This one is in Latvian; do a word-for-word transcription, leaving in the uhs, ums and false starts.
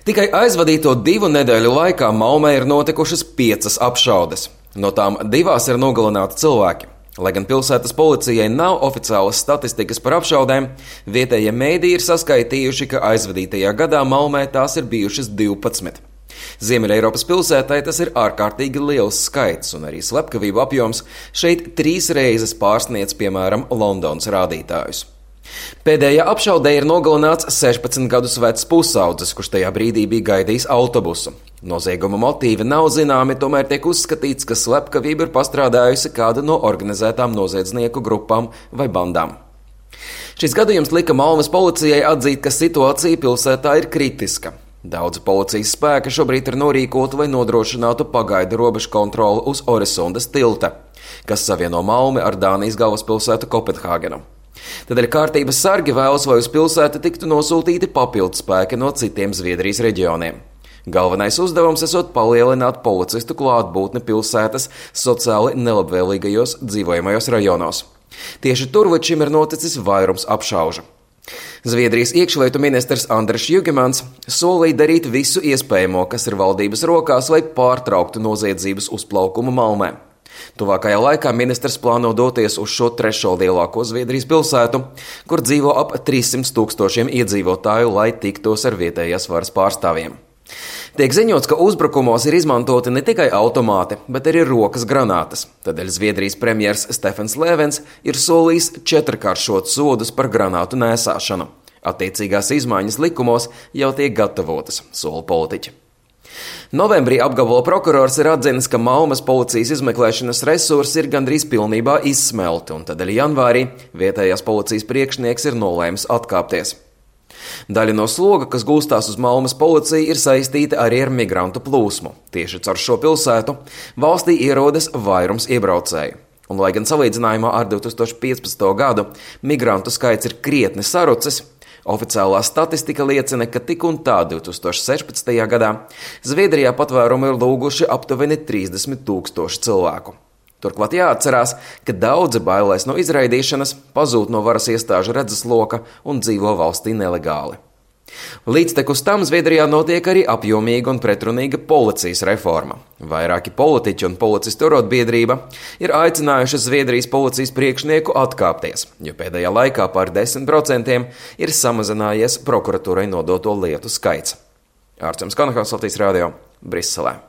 Tikai aizvadīto divu nedēļu laikā Malmē ir notikušas piecas apšaudes. No tām divās ir nogalināti cilvēki. Lai gan pilsētas policijai nav oficiālas statistikas par apšaudēm, vietējie mēdīji ir saskaitījuši, ka aizvadītajā gadā Malmē tās ir bijušas divpadsmit. Ziemeļeiropas pilsētai tas ir ārkārtīgi liels skaits, un arī slepkavību apjoms šeit trīs reizes pārsniedz, piemēram, Londonas rādītājus. Pēdējā apšaudē ir nogalināts sešpadsmit gadus vecs pusaudzis, kurš tajā brīdī bija gaidījis autobusu. Nozieguma motīvi nav zināmi, tomēr tiek uzskatīts, ka slepkavība ir pastrādājusi kāda no organizētām noziedznieku grupām vai bandām. Šis gadījums lika Malmes policijai atzīt, ka situācija pilsētā ir kritiska. Daudzi policijas spēki šobrīd ir norīkoti, lai nodrošinātu pagaidu robežu kontroli uz Oresundas tilta, kas savieno Malmi ar Dānijas galvaspilsētu Kopenhāgenu. Tādēļ kārtības sargi vēlas, lai uz pilsētu tiktu nosūtīti papildu spēki no citiem Zviedrijas reģioniem. Galvenais uzdevums esot palielināt policistu klātbūtni pilsētas sociāli nelabvēlīgajos dzīvojamajos rajonos. Tieši tur līdz šim ir noticis vairums apšaužu. Zviedrijas iekšlietu ministrs Andris Jugemans solīja darīt visu iespējamo, kas ir valdības rokās, lai pārtrauktu noziedzības uzplaukumu Malmē. Tuvākajā laikā ministrs plāno doties uz šo trešo lielāko Zviedrijas pilsētu, kur dzīvo ap trīssimt tūkstošiem iedzīvotāju, lai tiktos ar vietējās varas pārstāvjiem. Tiek ziņots, ka uzbrukumos ir izmantoti ne tikai automāti, bet arī rokas granātas. Tādēļ Zviedrijas premjers Stefans Lēvens ir solījis četrkāršot sodus par granātu nēsāšanu. Attiecīgās izmaiņas likumos jau tiek gatavotas, sola politiķi. Novembrī apgabala prokurors ir atzinis, ka Malmes policijas izmeklēšanas resursi ir gandrīz pilnībā izsmelti, un tādēļ janvārī vietējās policijas priekšnieks ir nolēmis atkāpties. Daļa no sloga, kas gulstās uz Malmes policiju, ir saistīta arī ar migrantu plūsmu. Tieši caur šo pilsētu valstī ierodas vairums iebraucēju. Un, lai gan salīdzinājumā ar divi tūkstoši piecpadsmito gadu migrantu skaits ir krietni sarucis, oficiālā statistika liecina, ka tik un tā divi tūkstoši sešpadsmitajā gadā Zviedrijā patvērumu ir lūguši aptuveni trīsdesmit tūkstoši cilvēku. Turklāt jāatcerās, ka daudzi bailēs no izraidīšanas, pazūd no varas iestāžu redzesloka un dzīvo valstī nelegāli. Līdztekus tam Zviedrijā notiek arī apjomīga un pretrunīga policijas reforma. Vairāki politiķi un policistu arotbiedrība ir aicinājuši Zviedrijas policijas priekšnieku atkāpties, jo pēdējā laikā par desmit procentiem ir samazinājies prokuratūrai nodoto lietu skaits. Ārčuns Kanahals, Latvijas radio, Briselē.